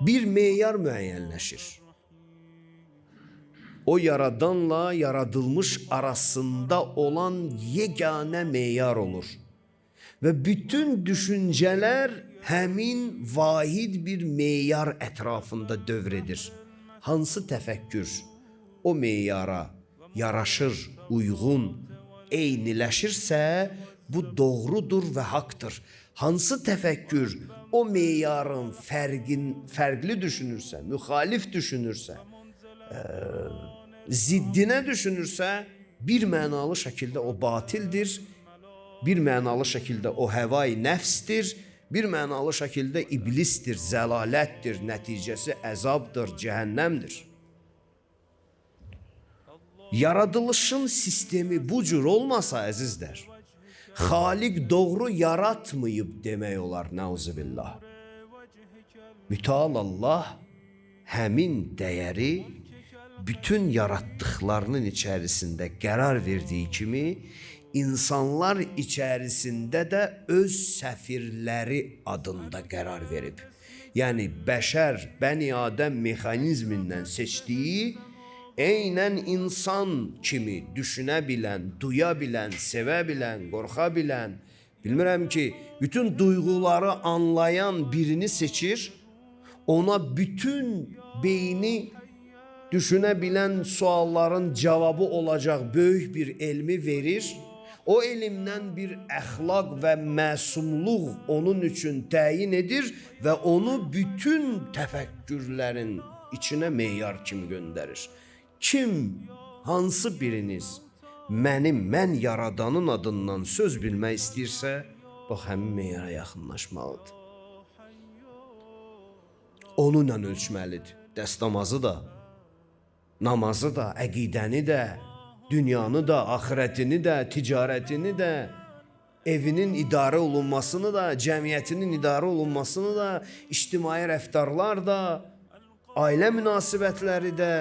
Bir meyar müəyyənləşir. O yaradanla yaradılmış arasında olan yeganə meyar olur. Ve bütün düşünceler həmin vahid bir meyar etrafında dövredir. Hansı təfəkkür o meyara yaraşır, uyğun, eyniləşirsə bu doğrudur ve haktır. Hansı təfəkkür o meyarın fərqli düşünürsə, müxalif düşünürsə, ziddine düşünürsə, bir mənalı şəkildə o batildir, bir mənalı şəkildə o həvai nəfsdir, bir mənalı şəkildə iblisdir, zəlalətdir, nəticəsi əzabdır, cəhənnəmdir. Yaradılışın sistemi bu cür olmasa əzizlər, Xaliq doğru yaratmayıb demək olar, nəuzubillah. Mütəal Allah həmin dəyəri bütün yarattıklarının içerisinde qərar verdiği kimi insanlar içerisinde de öz səfirləri adında qərar verib. Yani bəşər, Bəni Adəm mexanizmindən seçdiyi eynən insan kimi düşünə bilən, duya bilən, sevə bilən, qorxa bilən, bilmirəm ki, bütün duyguları anlayan birini seçir, ona bütün beyni düşünebilen sualların cevabı olacak büyük bir elmi verir. O elimden bir əxlaq ve məsumluq onun için təyin edir ve onu bütün təfəkkürlərin içine meyar kimi göndərir. Kim, hansı biriniz mən yaradanın adından söz bilmək istəyirsə, bax həmin meyara yaxınlaşmalıdır. Onunla ölçməlidir. Dəstəmazı da, namazı da, əqidəni də, dünyanı da, axirətini də, ticarətini də, evinin idarə olunmasını da, cəmiyyətinin idarə olunmasını da, ictimai rəftarlar da, ailə münasibətləri də,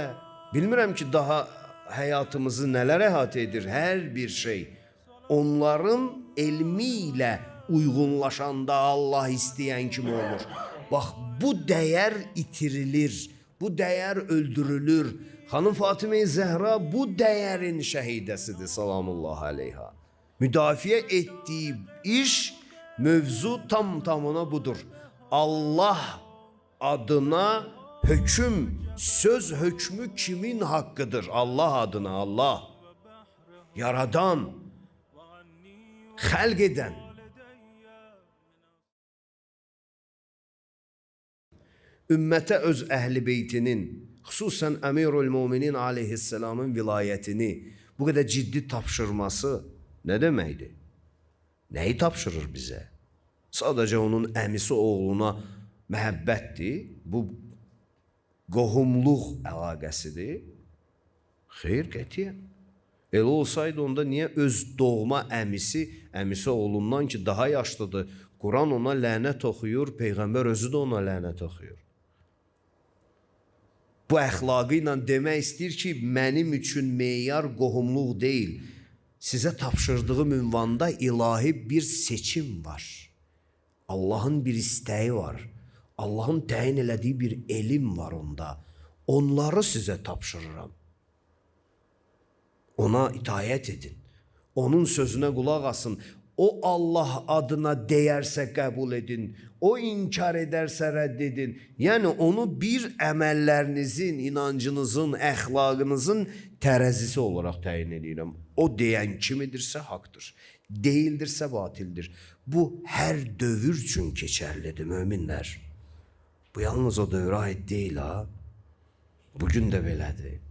bilmirəm ki, daha həyatımızı nələr əhatə edir, hər bir şey. Onların elmi ilə uyğunlaşanda Allah istəyən kimi olur. Bax, bu dəyər itirilir, bu dəyər öldürülür. Xanım Fatimə-i Zəhra bu dəyərin şəhidəsidir, salamullah aleyha. Müdafiə etdiyi iş, mövzu tamına budur. Allah adına höküm, söz hökmü kimin hakkıdır? Allah adına, Allah. Yaradan, xəlq edən. Ümmətə öz əhl-i beytinin, xüsusən Əmirül Müminin aleyhisselamın vilayətini bu qədər ciddi tapşırması nə deməkdir? Nəyi tapşırır bizə? Sadəcə onun əmisi oğluna məhəbbətdir, bu qohumluq əlaqəsidir. Xeyr, qətiyyən. Elə olsaydı onda niyə öz doğma əmisi oğlundan ki daha yaşlıdır, Quran ona lənət oxuyur, Peyğəmbər özü də ona lənət oxuyur. Bu əxlaqı ilə demək istəyir ki, mənim üçün meyar qohumluq deyil. Sizə tapşırdığım ünvanda ilahi bir seçim var. Allahın bir istəyi var. Allahın təyin elədiyi bir elm var onda. Onları sizə tapşırıram. Ona itaət edin. Onun sözünə qulaq asın. O Allah adına deyərsə qəbul edin. O inkar edərsə rədd edin. Yəni onu bir əməllərinizin, inancınızın, əxlaqınızın tərəzisi olaraq təyin edirəm. O deyən kimidirsə haqdır. Deyildirsə batildir. Bu hər dövr üçün keçərlidir möminlər. Bu yalnız o dövrə aid deyil ha. Bugün də belədir.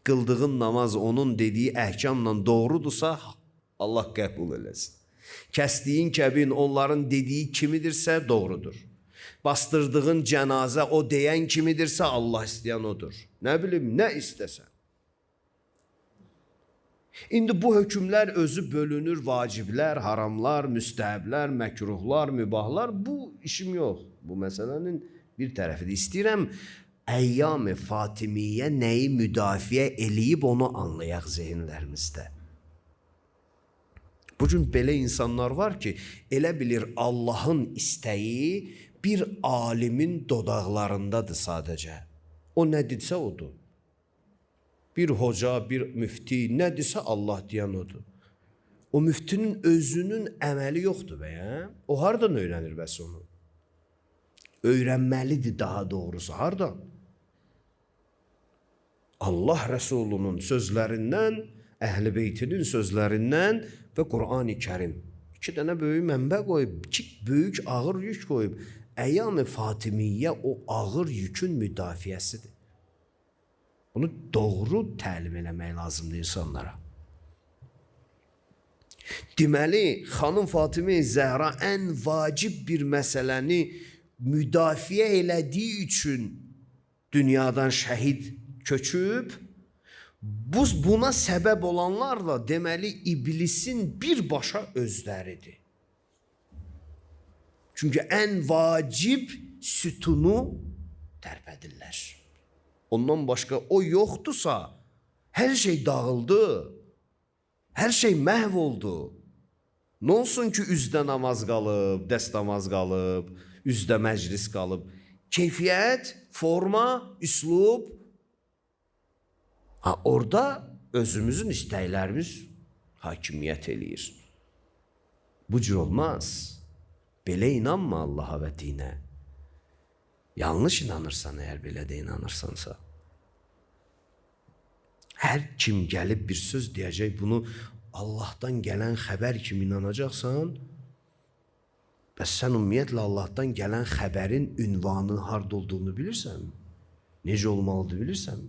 Qıldığın namaz onun dediyi əhkamla doğrudursa Allah qəbul eləsin. Kəsdiyin kəbin onların dediyi kimidirsə doğrudur. Bastırdığın cənazə o deyən kimidirsə Allah istəyən odur. Nə bilim, nə istəsən. İndi bu hökmlər özü bölünür, vaciblər, haramlar, müstəhəblər, məkruhlar, mübahlar. Bu işim yox. Bu məsələnin bir tərəfidir. İstəyirəm Əyyam-ı Fatimiyyə nəyi müdafiə eləyib onu anlayaq zehinlərimizdə. Bugün belə insanlar var ki, elə bilir Allahın istəyi bir alimin dodaqlarındadır sadəcə. O nə desə odur. Bir hoca, bir müfti nə desə Allah deyən odur. O müftinin özünün əməli yoxdur bəyəm. O hardan öyrənir bəs onu? Öyrənməlidir daha doğrusu. Hardan? Allah Rəsulunun sözlərindən, Əhl-i Beytinin sözlərindən və Qur'an-ı Kərim. 2 dənə böyük mənbə qoyub, 2 böyük ağır yük qoyub. Əyyam-ı Fatimiyyə o ağır yükün müdafiəsidir. Bunu doğru təlim eləmək lazımdır insanlara. Deməli, xanım Fatimə Zəhra ən vacib bir məsələni müdafiə elədiyi üçün dünyadan şəhid köçüb, buna səbəb olanlar da deməli iblisin birbaşa özləridir. Çünki ən vacib sütunu tərpədirlər. Ondan başqa o yoxdursa, hər şey dağıldı, hər şey məhv oldu. Nə olsun ki, üzdə namaz qalıb, dəst namaz qalıb, üzdə məclis qalıb. Keyfiyyət, forma, üslub. Orada özümüzün istəklərimiz hakimiyyət eləyir. Bu cür olmaz. Belə inanma Allaha və dinə. Yanlış inanırsan, əgər belə də inanırsansa. Hər kim gəlib bir söz deyəcək, bunu Allahdan gələn xəbər kimi inanacaqsan, bəs sən ümumiyyətlə Allahdan gələn xəbərin ünvanı harda olduğunu bilirsən? Necə olmalıdır bilirsən?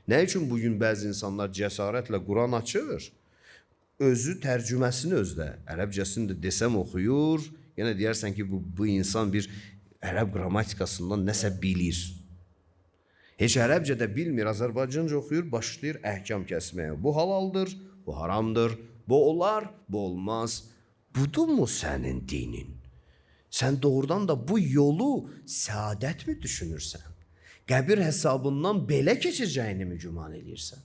Nə üçün bugün bəzi insanlar cəsarətlə Quran açır, özü tərcüməsini özdə, ərəbcəsini də desəm oxuyur, yenə deyərsən ki, bu insan bir ərəb qrammatikasından nəsə bilir. Heç ərəbcə də bilmir, Azərbaycanca oxuyur, başlayır əhkam kəsməyə. Bu halaldır, bu haramdır, bu olar, bu olmaz. Budurmu sənin dinin? Sən doğrudan da bu yolu səadət mi düşünürsən? Qəbir hesabından belə keçəcəyini mi güman edirsən?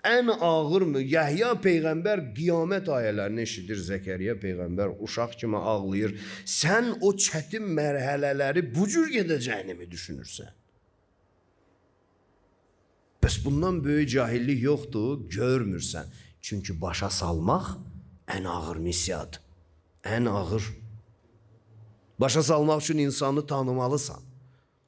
Ən ağır mı? Yəhya Peyğəmbər qiyamət ayələrini eşidir, Zəkəriyyə Peyğəmbər uşaq kimi ağlayır. Sən o çətin mərhələləri bu cür gedəcəyini mi düşünürsən? Bəs bundan böyük cahillik yoxdur, görmürsən. Çünki başa salmaq ən ağır missiyadır. Ən ağır. Başa salmaq üçün insanı tanımalısan.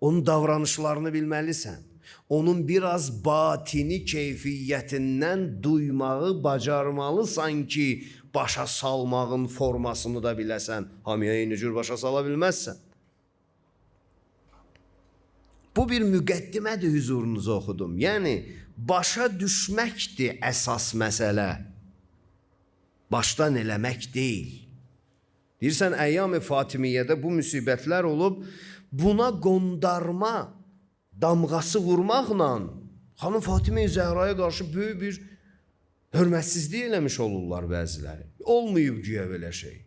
Onun davranışlarını bilməlisən. Onun biraz batini keyfiyyətindən duymağı bacarmalısan ki, başa salmağın formasını da biləsən. Hamıya eyni cür başa sala bilməzsən. Bu bir müqəddimədir, huzurunuza oxudum. Yəni, başa düşməkdir əsas məsələ. Başdan eləmək deyil. Deyirsən, Əyyam-ı Fatimiyyədə bu müsibətlər olub, buna qondarma damğası vurmaqla xanım Fatimə Zəhraya qarşı böyük bir hörmətsizlik eləmiş olurlar bəziləri. Olmayıb güya belə şey.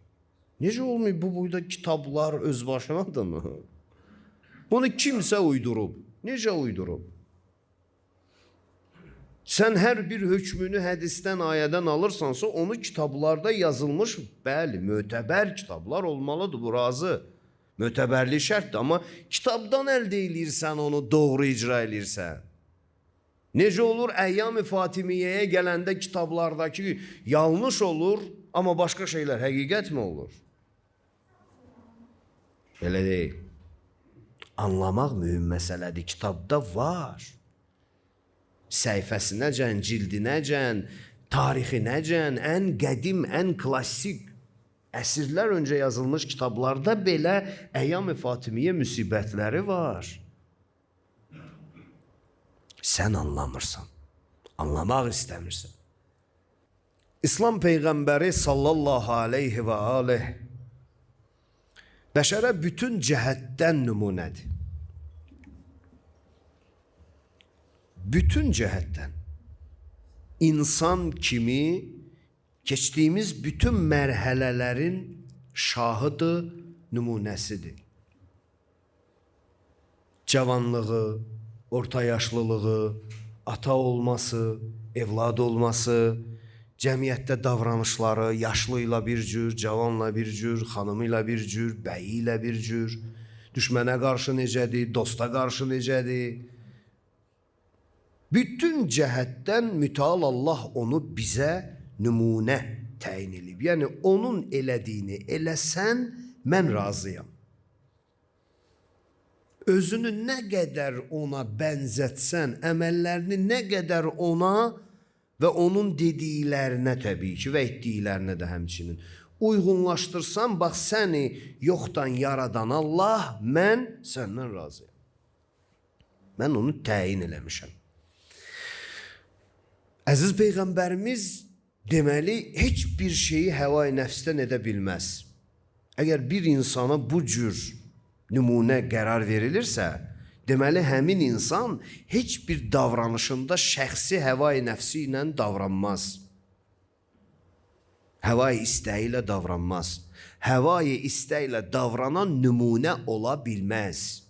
Necə olmayıb? Bu boyda kitablar öz başınadır mı? Bunu kimsə uydurub. Necə uydurub? Sən hər bir hökmünü hədisdən, ayədən alırsansa, onu kitablarda yazılmış, bəli, mötəbər kitablar olmalıdır, bu razı. Mötəbərlik şərtdir, amma kitabdan əldə eləyirsən, onu doğru icra eləyirsən. Necə olur? Əyyam-ı Fatimiyyəyə gələndə kitablardakı yanlış olur, amma başqa şeylər həqiqət mi olur? Belə deyil. Anlamaq mühüm məsələdir. Kitabda var. Səhifəsinəcən, cildinəcən, tarixinəcən, ən qədim, ən klassik, əsrlər öncə yazılmış kitablarda belə Əyyam-ı Fatimiyyə müsibətləri var. Sən anlamırsan, anlamaq istəmirsən. İslam Peyğəmbəri sallallahu aleyhi və aleyh bəşərə bütün cəhətdən nümunədir. Bütün cəhətdən. İnsan kimi keçdiyimiz bütün mərhələlərin şahıdır, nümunəsidir. Cavanlığı, orta yaşlılığı, ata olması, evlad olması, cəmiyyətdə davranışları yaşlı ilə bir cür, cavanla bir cür, xanımı ilə bir cür, bəyi ilə bir cür, düşmənə qarşı necədir, dosta qarşı necədir. Bütün cəhətdən mütəal Allah onu bizə nümunə təyin edib. Yəni onun elədiyini eləsən, mən razıyam. Özünü nə qədər ona bənzətsən, əməllərini nə qədər ona və onun dediklərinə təbii ki və etdiklərinə də həmçinin uyğunlaşdırsan, bax səni yoxdan yaradan Allah, mən səndən razıyam. Mən onu təyin eləmişəm. Əziz Peyğəmbərimiz deməli heç bir şeyi həva-i nəfsdən edə bilməz. Əgər bir insana bu cür nümunə qərar verilirsə, deməli həmin insan heç bir davranışında şəxsi həva-i nəfsi ilə davranmaz. Həva-i istəyi ilə davranmaz. Həva-i istəyi ilə davranan nümunə ola bilməz.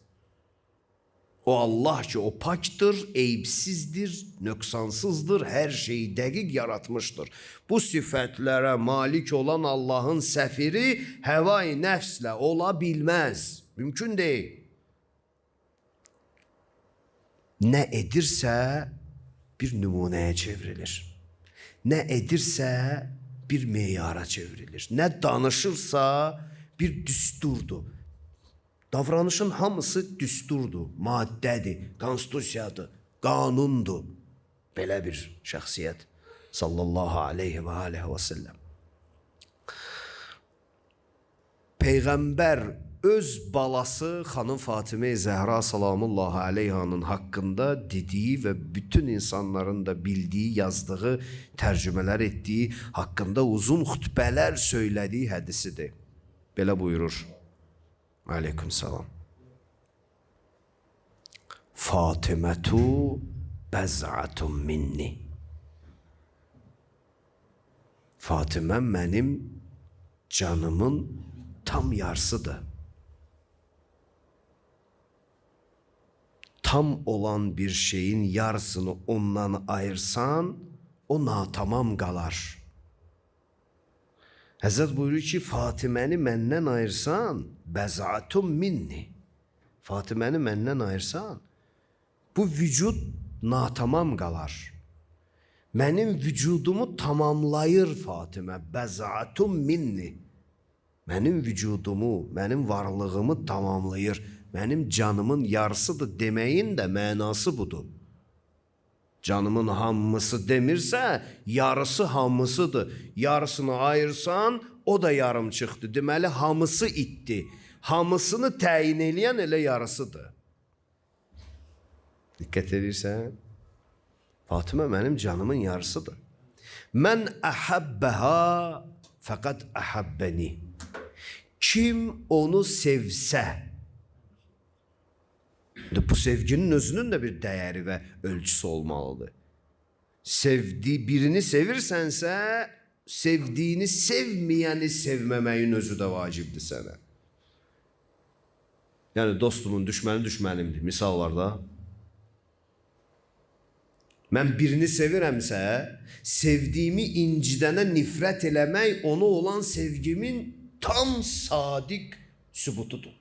O Allah ki, o pakdır, eyibsizdir, nöqsansızdır, hər şeyi dəqiq yaratmışdır. Bu sifətlərə malik olan Allahın səfiri həva-i nəfslə ola bilməz. Mümkün deyil. Nə edirsə bir nümunəyə çevrilir. Nə edirsə bir meyara çevrilir. Nə danışırsa bir düsturdur. Davranışın hamısı düsturdur, maddədir, konstitusiyadır, qanundur. Belə bir şəxsiyyət. Sallallahu aleyhi və aleyhi və səlləm. Peyğəmbər öz balası xanım Fatimə-i Zəhra salamullahi aleyhanın haqqında dediyi və bütün insanların da bildiyi, yazdığı, tərcümələr etdiyi, haqqında uzun xütbələr söylədiyi hədisidir. Belə buyurur. Aleyküm salam. Fatimətu bəz'atun minni. Fatimə mənim canımın tam yarısıdır. Tam olan bir şeyin yarısını ondan ayırsan, o natamam qalar. Həzrət buyurur ki, Fatiməni məndən ayırsan, bəz'atun minni. Fatiməni məndən ayırsan, bu vücud natamam qalar. Mənim vücudumu tamamlayır Fatimə, bəz'atun minni. Mənim vücudumu, mənim varlığımı tamamlayır. Mənim canımın yarısıdır deməyin də mənası budur. Canımın hamısı demirsə, yarısı hamısıdır. Yarısını ayırsan, o da yarım çıxdı. Deməli, hamısı itdi. Hamısını təyin eləyən elə yarısıdır. Diqqət edirsən? Fatimə mənim canımın yarısıdır. Mən əhəbbəhə fəqət əhəbbəni. Kim onu sevsə, bu sevginin özünün də bir dəyəri və ölçüsü olmalıdır. Birini sevirsənsə, sevdiyini sevməyəni sevməməyin özü də vacibdir sənə. Yəni dostumun düşməni düşmənimdir. Misal var da. Mən birini sevirəmsə, sevdiyimi incidənə nifrət eləmək ona olan sevgimin tam sadiq sübutudur.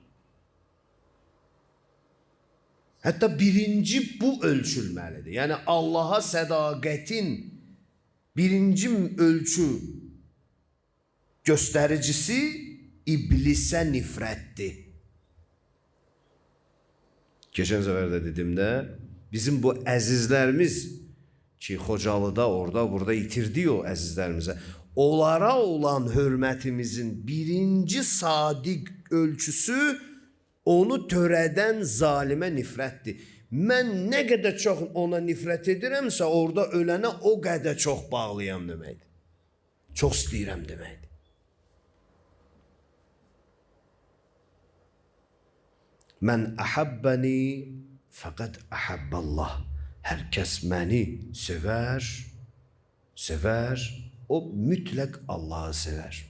Hətta birinci bu ölçülməlidir. Yəni Allaha sədaqətin birinci ölçü göstəricisi iblisə nifrətdir. Keçən səfər də dedimdə, bizim bu əzizlərimiz ki, Xocalıda, orada, burada itirdik o əzizlərimizə. Onlara olan hörmətimizin birinci sadiq ölçüsü onu törədən zalimə nifrətdir. Mən nə qədər çox ona nifrət edirəmsə, orada ölənə o qədər çox bağlıyam deməkdir. Çox istəyirəm deməkdir. Mən əhəbbəni fəqət əhəbballah. Hər kəs məni sevər, o mütləq Allahı sevər.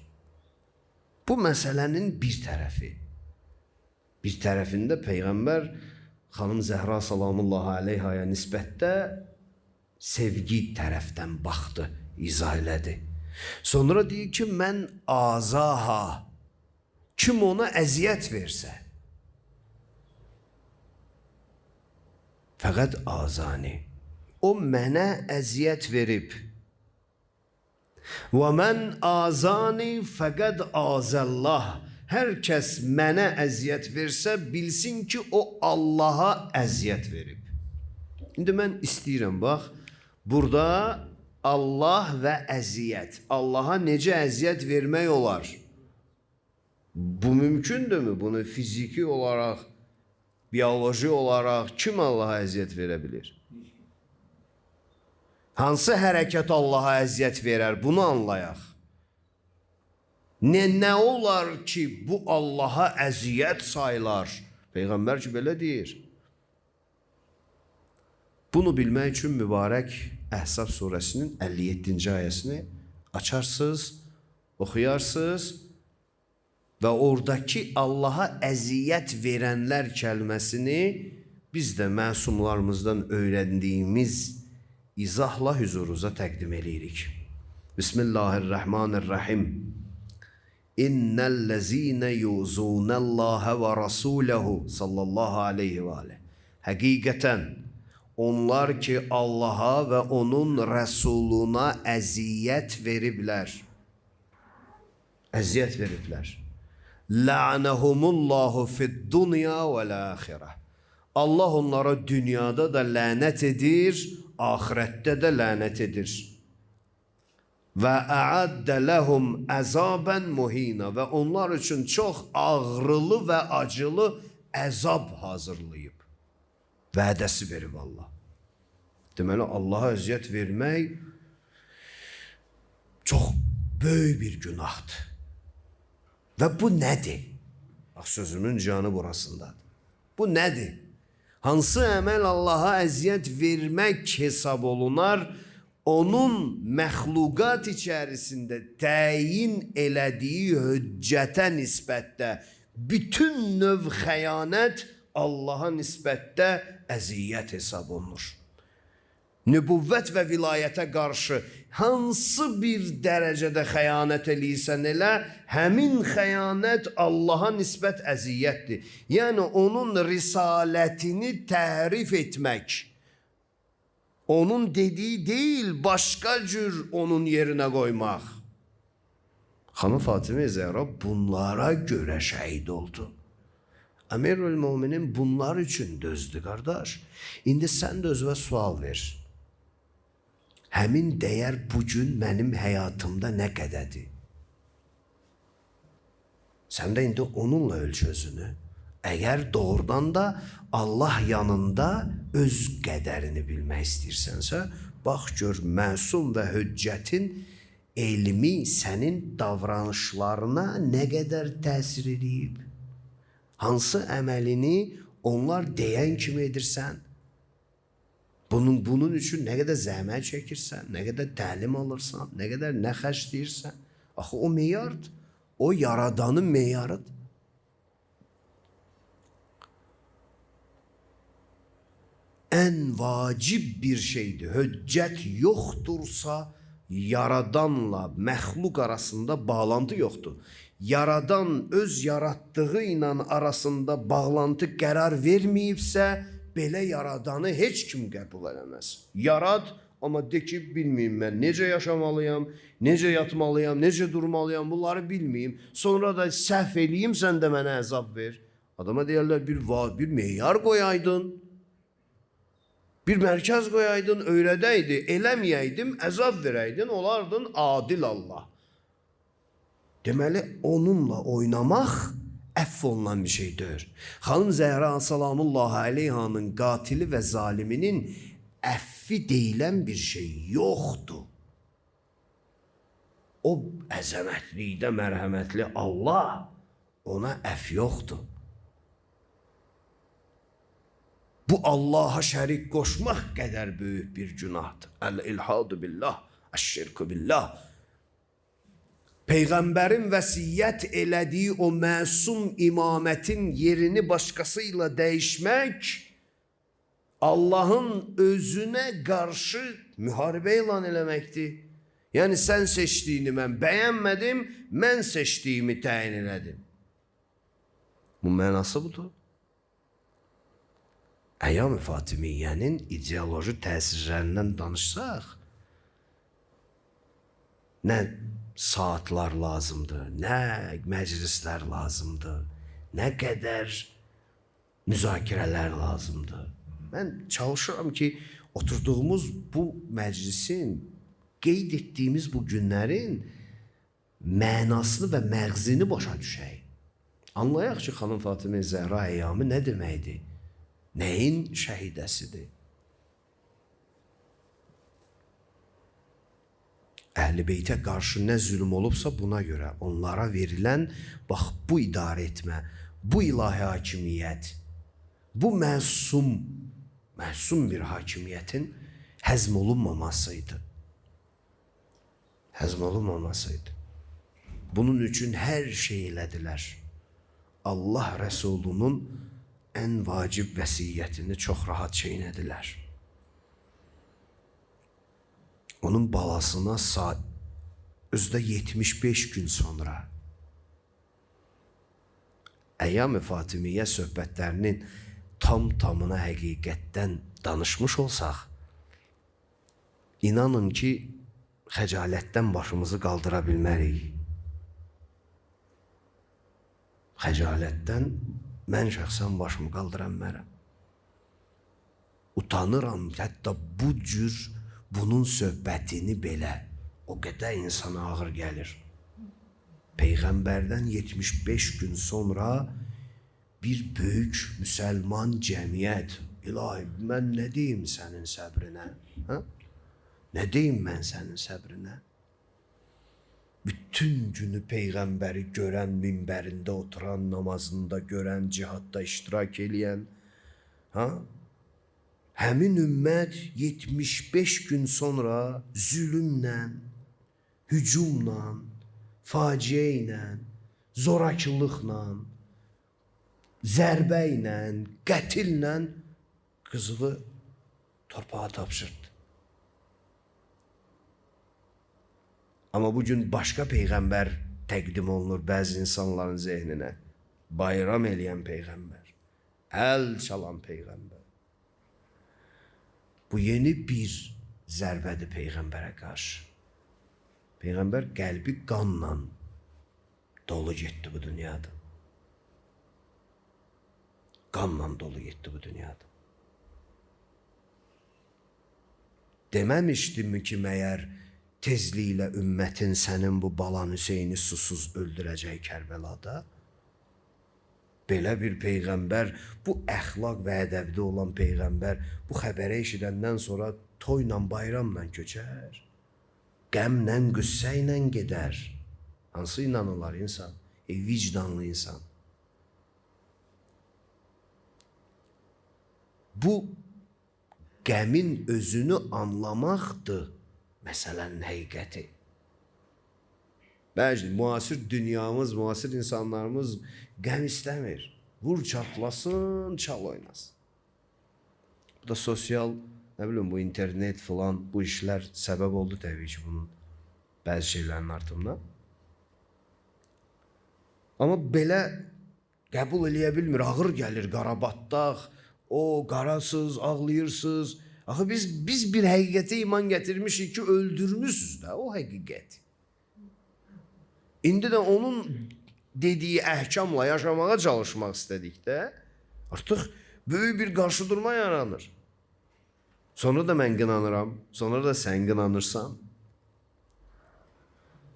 Bu məsələnin bir tərəfi. Bir tərəfində Peyğəmbər xanım Zəhra salamullahi aleyhaya nisbətdə sevgi tərəfdən baxdı. izah elədi. Sonra deyir ki, mən azaha, kim ona əziyyət versə, fəqət azani, o mənə əziyyət verib. Və mən azani fəqəd azəllah. Hər kəs mənə əziyyət versə, bilsin ki, o Allaha əziyyət verib. İndi mən istəyirəm, bax, burada Allah və əziyyət. Allaha necə əziyyət vermək olar? Bu mümkündürmü? Bunu fiziki olaraq, biyoloji olaraq kim Allaha əziyyət verə bilir? Hansı hərəkət Allaha əziyyət verər? Bunu anlayaq. Nə olar ki, bu Allaha əziyyət sayılar? Peyğəmbər ki, belə deyir. Bunu bilmək üçün mübarək Əhzab surəsinin 57-ci ayəsini açarsınız, oxuyarsınız və oradakı Allaha əziyyət verənlər kəlməsini biz də məsumlarımızdan öyrəndiyimiz izahla hüzurunuza təqdim edirik. Bismillahirrahmanirrahim. İnnellezine yuzunallaha ve rasulehu sallallahu aleyhi ve aleyh. Həqiqətən onlar ki Allaha və onun Rəsuluna əziyyət veriblər. Əziyyət veriblər. La'nehumullahu fid dunya vel ahireh. Allah onlara dünyada da lənət edir, ahirette de lənət edir. Və a'addə ləhum əzaben muhina, və onlar üçün çox ağrılı və acılı əzab hazırlayıb. Vədəsi verib Allah. Deməli, Allaha əziyyət vermək çox böyük bir günahdır. Və bu nədir? Bax, sözümün canı burasındadır. Bu nədir? Hansı əməl Allaha əziyyət vermək hesab olunar? Onun məxluqat içərisində təyin elədiyi höccətə nisbətdə bütün növ xəyanət Allaha nisbətdə əziyyət hesab olunur. Nübüvvət və vilayətə qarşı hansı bir dərəcədə xəyanət eləyirsən elə, həmin xəyanət Allaha nisbət əziyyətdir. Yəni, onun risalətini təhrif etmək, onun dediği değil, başka cür onun yerine koymak. Hanım Fatıma Zehra bunlara göre şehit oldu. Emirül Müminin bunlar için dözdü kardeş. İndi sen de özüne sual ver. Həmin dəyər bugün mənim həyatımda nə qədədir? Sən də indi onunla ölç özünü. Əgər doğrudan da Allah yanında öz qədərini bilmək istəyirsənsə, bax gör, məsum və höccətin elmi sənin davranışlarına nə qədər təsir edib? Hansı əməlini onlar deyən kimi edirsən? Bunun üçün nə qədər zəhmət çəkirsən, nə qədər təlim alırsan, nə qədər nə xərcləyirsən? Axı o meyardır, o yaradanın meyarıdır. Ən vacib bir şeydir. Höccət yoxdursa, yaradanla məxluq arasında bağlantı yoxdur. Yaradan öz yaratdığı ilə arasında bağlantı qərar verməyibsə, belə yaradanı heç kim qəbul eləməz. Yarad, amma de ki, bilməyim mən necə yaşamalıyam, necə yatmalıyam, necə durmalıyam, bunları bilməyim. Sonra da səhv eləyim, sən də mənə əzab ver. Adama deyərlər, bir meyar qoyaydın, bir mərkəz qoyaydın, öyrədəydi, eləməyəydim, əzab verəydin, olardın adil Allah. Deməli, onunla oynamaq əff olunan bir şeydir. Xanım Zəhra salamullahi aleyhanın qatili və zaliminin əffi deyilən bir şey yoxdur. O əzəmətlikdə mərhəmətli Allah, ona əff yoxdur. Bu Allaha şərik qoşmaq qədər böyük bir günahdır. Əl-ilhadu billah, əş-şirku billah. Peyğəmbərin vəsiyyət elədiyi o məsum imamətin yerini başqasıyla dəyişmək, Allahın özünə qarşı müharibə elan eləməkdir. Yəni sən seçdiyini mən bəyənmədim, mən seçdiyimi təyin elədim. Bu mənası budur. Əyyam-ı Fatimiyyənin ideoloji təsirlərindən danışsaq, nə saatlar lazımdır, nə məclislər lazımdır, nə qədər müzakirələr lazımdır. Mən çalışıram ki, oturduğumuz bu məclisin, qeyd etdiyimiz bu günlərin mənasını və məğzini başa düşək. Anlayaq ki, xanım Fatimə Zəhra əyyamı nə deməkdir? Nəyin şəhidəsidir? Əhl-i Beytə qarşı nə zülm olubsa buna görə onlara verilən, bax bu idarə etmə, bu ilahi hakimiyyət, bu məsum bir hakimiyyətin həzm olunmamasıydı. Həzm olunmamasıydı. Bunun üçün hər şey elədilər. Allah Rəsulunun ən vacib vəsiyyətini çox rahat çeynədilər. Onun balasına özdə 75 gün sonra Əyyam-ı Fatimiyyə söhbətlərinin tamına həqiqətdən danışmış olsaq, inanın ki, xəcalətdən başımızı qaldıra bilmərik. Xəcalətdən mən şəxsən başımı qaldıra bilmərəm. Utanıram, hətta bu cür bunun söhbətini belə o qədər insana ağır gəlir. Peyğəmbərdən 75 gün sonra bir böyük müsəlman cəmiyyət, ilahi, mən nə deyim sənin səbrinə? Ha? Nə deyim mən sənin səbrinə? Bütün günü Peyğəmbəri görən, minbərində oturan, namazında görən, cihadda iştirak eləyən, ha? Həmin ümmət 75 gün sonra zülümlə, hücumla, faciə ilə, zorakılıqla, zərbə ilə, qətillə qızılı torpağa tapşırdı. Amma bugün başqa Peyğəmbər təqdim olunur bəzi insanların zehninə. Bayram eləyən Peyğəmbər, əl çalan Peyğəmbər. Bu yeni bir zərbədir Peyğəmbərə qarşı. Peyğəmbər qəlbi qanla dolu getdi bu dünyada. Qanla dolu getdi bu dünyada. Deməmişdimmi ki, məyər tezliklə ümmətin sənin bu balan Hüseyni susuz öldürəcək Kərbəlada? Belə bir Peyğəmbər, bu əxlaq və ədəbdə olan Peyğəmbər bu xəbəri eşidəndən sonra toyla, bayramla köçər. Qəmlə, qüssə ilə gedər. Hansı inanırlar insan? Vicdanlı insan. Bu qəmin özünü anlamaqdır məsələnin həqiqəti. Bəzi müasir dünyamız, müasir insanlarımız qəm istəmir. Vur çatlasın, çal oynasın. Bu da sosial, nə bilim, bu internet falan, bu işlər səbəb oldu təbii ki, bunun bəzi şeylərin artımına. Amma belə qəbul eləyə bilmir, ağır gəlir, qarabatdaq, o qarasız, ağlayırsız. Axı biz bir həqiqətə iman gətirmişik ki, öldürmüşsünüz də o həqiqəti. İndi də onun dediyi əhkamla yaşamağa çalışmaq istədikdə artıq böyük bir qarşıdurma yaranır. Sonra da mən qınanıram, sonra da sən qınanırsan.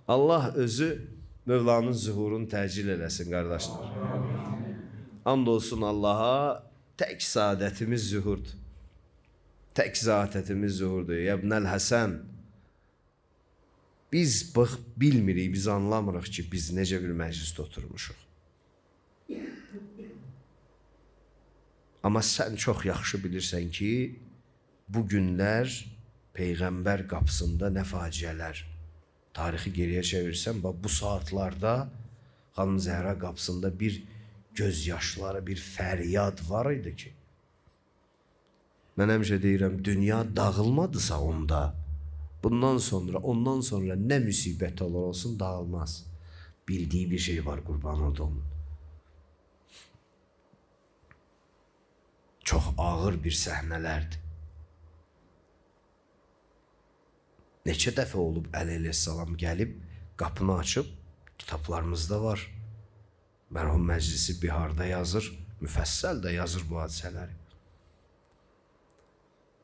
Allah özü Mövlanın zühurunu təcil eləsin, qardaşlar. And olsun Allaha, tək saadətimiz zühurdur. Tək zatətimiz zühurdur. Yəbnəl Həsən, biz bilmirik, biz anlamırıq ki, biz necə bir məclisdə oturmuşuq. Amma sən çox yaxşı bilirsən ki, bu günlər Peyğəmbər qapısında nə faciələr. Tarixi geriyə çevirsən, bu saatlarda xanım Zəhra qapısında bir gözyaşları, bir fəryad var idi ki, mən həmişə deyirəm, dünya dağılmadısa onda, Ondan sonra ne müsibet olur olsun dağılmaz. Bildiği bir şey var, kurban olduğum. Çok ağır bir səhnelerdi. Neçə dəfə olub Əli əleyhissalam gəlib, qapını açıb, kitablarımızda var. Mərhum Məclisi Biharda yazır, müfəssəl də yazır bu hadisələri.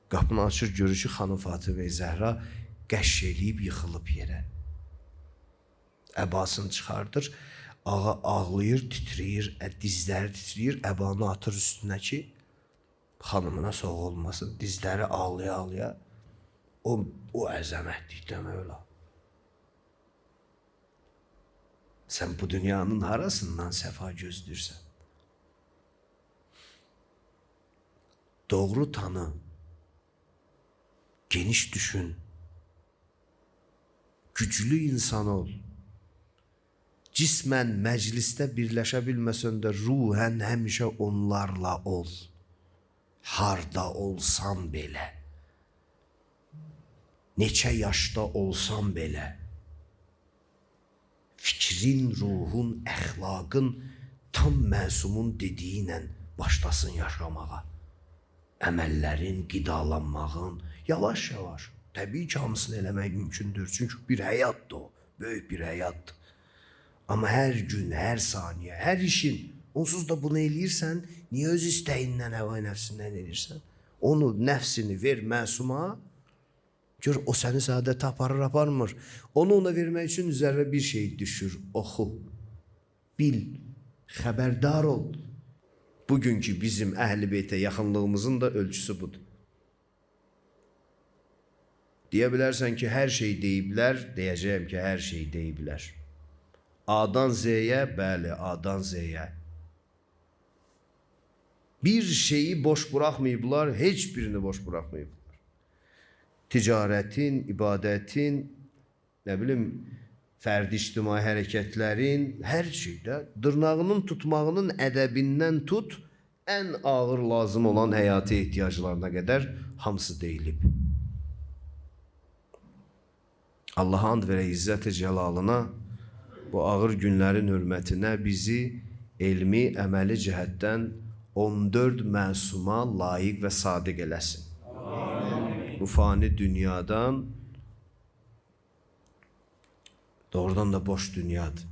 Qapını açır, görür ki, xanım Fatimə Zəhra qəşş eləyib, yıxılıb yerə. Əbasını çıxardır, ağa ağlayır, titriyir, dizləri titriyir, əbanı atır üstünə ki, xanımına soğuk olmasın, dizləri ağlaya-ağlaya, o əzəmətlikdən öyle. Sen bu dünyanın harasından səfa gözlürsən? Doğru tanı, geniş düşün, güclü insan ol. Cismən məclisdə birləşə bilməsən də ruhən həmişə onlarla ol. Harda olsan belə, neçə yaşda olsan belə, fikrin, ruhun, əxlaqın tam məsumun dediyi ilə başlasın yaşamağa. Əməllərin, qidalanmağın, yavaş-yavaş. Təbii ki, hamısını eləmək mümkündür. Çünki bir həyatdır o, böyük bir həyatdır. Amma hər gün, hər saniyə, hər işin, onsuz da bunu eləyirsən, niyə öz istəyindən, həva nəfsindən eləyirsən? Onu, nəfsini ver məsuma, gör o səni səadətə aparmır. Onu ona vermək üçün üzərə bir şey düşür, oxu, bil, xəbərdar ol. Bugünkü bizim Əhl-i Beytə yaxınlığımızın da ölçüsü budur. Deyə bilərsən ki, hər şey deyiblər, deyəcəyəm ki, hər şey deyiblər. A'dan Z'ye, bəli, A'dan Z'ye. Bir şeyi boş bırakmayıblar, heç birini boş bırakmayıblar. Ticaretin, ibadetin, ne bileyim, fərdi ictimai hərəkətlərin, hər şeydə dırnağının tutmağının ədəbindən tut, ən ağır lazım olan həyati ehtiyaclarına qədər hamısı deyilib. Allah'a and verə İzzət-i Cəlalına, bu ağır günlərin hürmətinə bizi elmi, əməli cəhətdən 14 məsuma layiq və sadiq eləsin. Amin. Bu fani dünyadan, doğrudan da boş dünyadır.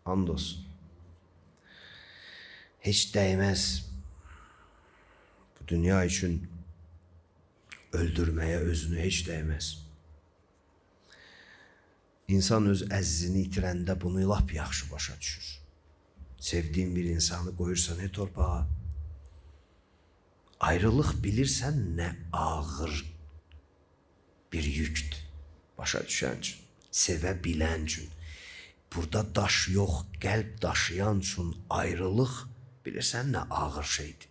And olsun. Heç dəyməz bu dünya üçün öldürməyə özünü, heç dəyməz. İnsan öz əzizini itirəndə bunu lap yaxşı başa düşür. Sevdiğin bir insanı qoyursan torpağa. Ayrılıq bilirsən nə ağır bir yükdür. Başa düşən üçün, sevə bilən üçün. Burada daş yox, qəlb daşıyan üçün ayrılıq bilirsən nə ağır şeydir.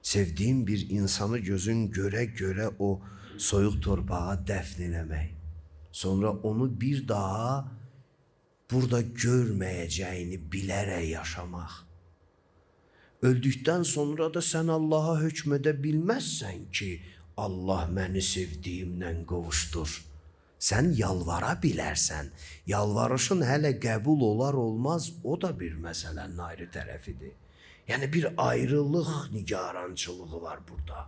Sevdiğin bir insanı gözün göre o soyuq torpağa dəfn eləmək. Sonra onu bir daha burada görməyəcəyini bilərək yaşamaq. Öldükdən sonra da sən Allah'a hökmədə bilməzsən ki, Allah məni sevdiyimdən qovuşdur. Sən yalvara bilərsən. Yalvarışın hələ qəbul olar olmaz, o da bir məsələnin ayrı tərəfidir. Yəni bir ayrılıq nigarançılığı var burada.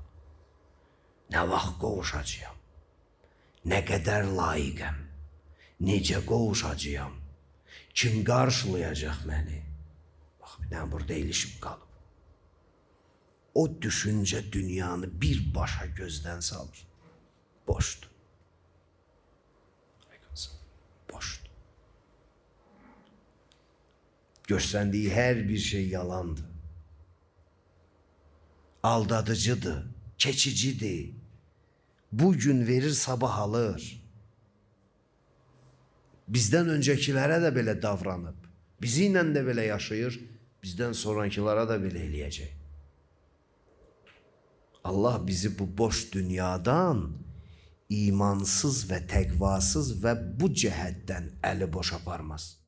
Nə vaxt qovuşacağam? Nə qədər layiqəm? Necə qovuşacağam? Kim qarşılayacaq məni? Bax, bir dənə burada ilişib qalıb. O düşüncə dünyanı birbaşa gözdən salır. Boşdur. Boşdur. Göstərdiyi hər bir şey yalandır. Aldadıcıdır, keçicidir. Bugün verir, sabah alır. Bizdən öncəkilərə də belə davranıb, bizi ilə də belə yaşayır, bizdən sonrakilara da belə eləyəcək. Allah bizi bu boş dünyadan imansız və təqvasız və bu cəhətdən əli boş aparmaz.